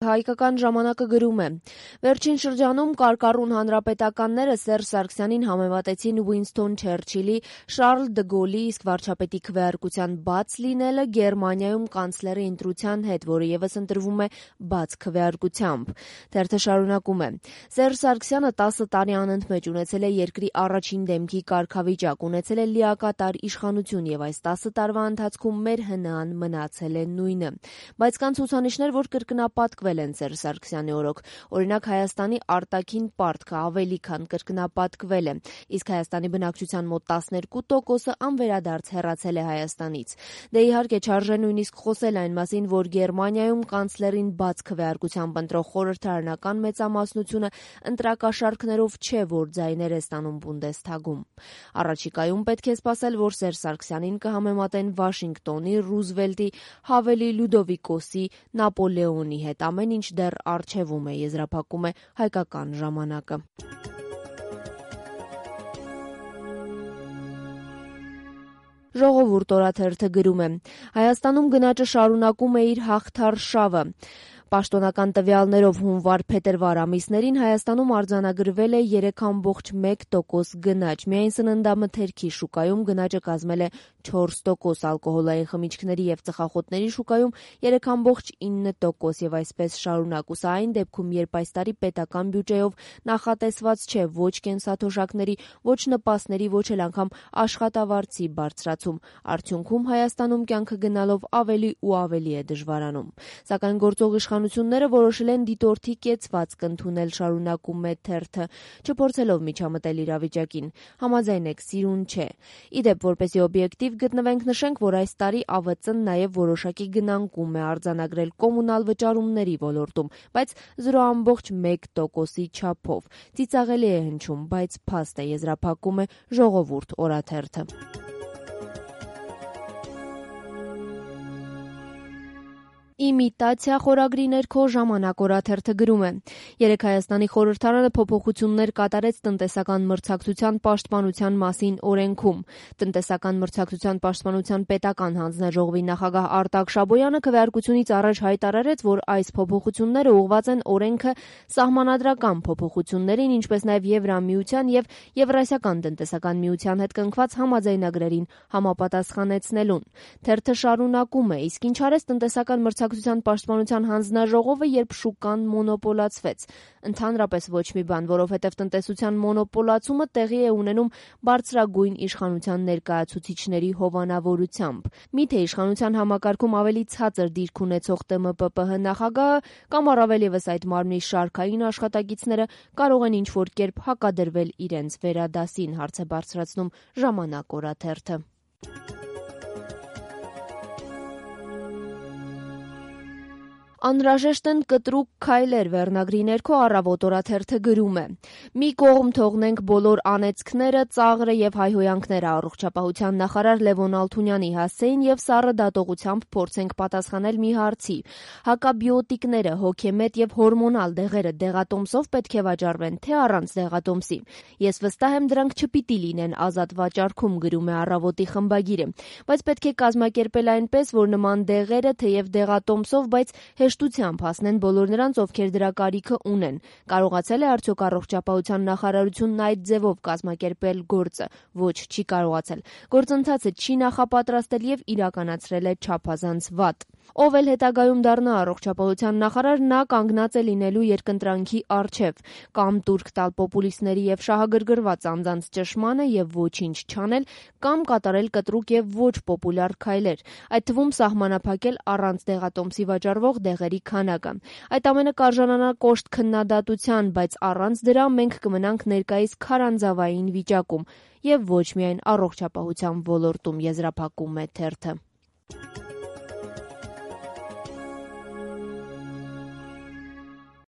Հայկական ժամանակը գրում է. վերջին շրջանում կարկառուն հանրապետականները Սերժ Սարգսյանին համեմատեցին Ուինսթոն Չերչիլի, Շարլ դը Գոլի, իսկ վարչապետի քվեարկության բաց լինելը Գերմանիայում կանցլերի ընտրության հետ, որը ևս ընտրվում է բաց քվեարկությամբ։ Թերթը շարունակում է. Սերժ Սարգսյանը 10 տարի անընդմեջ ունեցել է երկրի առաջին դեմքի կարգավիճակ, ունեցել է լիակատար իշխանություն եւ այս 10 տարվա ընթացքում մեր ՀՆԱ-ն մնացել է նույնը։ Բայց կան ցուցանիշներ, որ կրկնապատկվել են Սերժ Սարգսյանի օրոք։ Օրինակ Հայաստանի արտաքին պարտքը ավելի քան կրկնապատկվել է, իսկ Հայաստանի բնակչության մոտ 12%-ը անվերադարձ հեռացել է Հայաստանից։ Դե իհարկե չարժե նույնիսկ խոսել այն մասին, որ Գերմանիայում կանցլերին բաց քվեարկությամբ ընտրող խորհրդարանական մեծամասնությունը ընտրակաշառքներով չէ, որ ձայներ է ստանում Բունդեսթագում։ Առաջիկայում պետք է սպասել, որ Սերժ Սարգսյանին կհամեմատեն Վաշինգտոնի, Ռուզվելտի, Հավելի, Լյուդովիկոսի, Նապոլեոնի հետ, ամեն ինչ դեռ առջևում է, եզրափակում է Հայկական ժամանակը։ Ժողովուրդ օրաթերթը գրում է. Հայաստանում գնաճը շարունակում է իր հաղթար շավը։ Պաշտոնական տվյալներով հունվար-փետրվար ամիսներին Հայաստանում արձանագրվել է 3,1% գնաճ։ Միայն սննդամթերքի շուկայում գնաճը կազմել է 4%, ալկոհոլային խմիչքների եւ ծխախոտների շուկայում 3,9% եւ այսպես շարունակ։ Ու սա այն դեպքում, երբ այս տարի պետական բյուջեով նախատեսված չէ ոչ կենսաթոշակների, ոչ նպաստների, ոչ էլ անգամ աշխատավարձի բարձրացում։ Արդյունքում Հայաստանում կյանքը գնալով ավելի ու ավելի է դժվարանում։ Սակայն գործող իշխանությունները որոշել են դիտորդի կեցվածք ընդունել, շարունակում է թերթը, չփորձելով միջամտել իրավիճակին։ Համաձայն եք, սիրուն չէ։ Իդեպ, որպեսզի օբյեկտիվ գտնվենք, նշենք, որ այս տարի ԱՎԾ-ն նաև որոշակի գնանկում է արձանագրել կոմունալ վճարումների ոլորտում, բայց 0,1%-ի չափով։ Ծիծաղելի է հնչում, բայց փաստ է, եզրափակում է Ժողովուրդ օրաթերթը։ Իմիտացիա խորագրի ներքո Ժամանակ օրաթերթը գրում է. երեկ Հայաստանի խորհրդարանը փոփոխություններ կատարեց տնտեսական մրցակցության պաշտպանության մասին օրենքում։ Տնտեսական մրցակցության պաշտպանության պետական հանձնաժողովի նախագահ Արտակ Շաբոյանը քվեարկությունից առաջ հայտարարեց, որ այս փոփոխությունները ուղղված են օրենքը սահմանադրական փոփոխություններին, ինչպես նաև Եվրամիության եւ Եվրասիական տնտեսական միության հետ կնքված համաձայնագրերին համապատասխանեցնելուն։ Թերթը շարունակում է. իսկ ինչ արեց տնտեսական մրցակցության պաշտպանության հանձնաժողովը, երբ շուկան մոնոպոլացվեց։ Ընդհանրապես ոչ մի բան, որովհետև տնտեսության մոնոպոլացումը տեղի է ունենում բարձրագույն իշխանության ներկայացուցիչների հովանավորությամբ։ Միթե իշխանության համակարգում ավելի ցածր դիրք ունեցող ՏՄՊՊՀ նախագահը կամ առավել ևս այդ մարմնի շարքային աշխատակիցները կարող են ինչ-որ կերպ հակադրվել իրենց վերադասին, հարց է բարձրացնում Ժամանակ օրաթերթը։ Անհրաժեշտ են կտրուկ քայլեր վերնագրի ներքո Առավոտ օրաթերթը գրում է. մի կողմ թողնենք բոլոր անեծքները, ծաղրը եւ հայհոյանքները, առողջապահության նախարար Լևոն Ալթունյանի հասցեին եւ սառը դատողությամբ փորձենք պատասխանել մի հարցի. հակաբիոտիկները, հոգեմետ եւ հորմոնալ դեղերը դեղատոմսով պետք է վաճառվեն, թե առանց դեղատոմսի։ Ես վստահ եմ, դրանք չպիտի լինեն ազատ վաճառքում, գրում է Առավոտի խմբագիրը, բայց պետք է կազմակերպել այնպես, որ նման դեղերը թեև դեղատոմսով, բայց հեշտությամբ հասնեն բոլոր նրանց, ովքեր դրա կարիքը ունեն։ Կարողացել է արդյոք առողջապահության նախարարությունն այդ ձևով կազմակերպել գործը։ Ոչ, չի կարողացել։ Գործընթացը չի նախապատրաստել եւ իրականացրել է չափազանց վատ։ Ով էլ հետագայում դառնա առողջապահության նախարար, նա կանգնած է լինելու երկընտրանքի առջև, կամ տուրք տալ պոպուլիստների եւ շահագրգռված անձանց ճշմանը եւ ոչինչ չանել, կամ կատարել կտրուկ եւ ոչ պոպուլյար քայլեր, այդ թվում սահմանափակել առանց դեղատոմսի վաճառվող դեղերի քանակը։ Այդ ամենը կարժանանա կոշտ քննադատության, բայց առանց դրա մենք կմնանք ներկայիս քարանձավային վիճակում եւ ոչ միայն առողջապահության ոլորտում, եզրափակում է թերթը։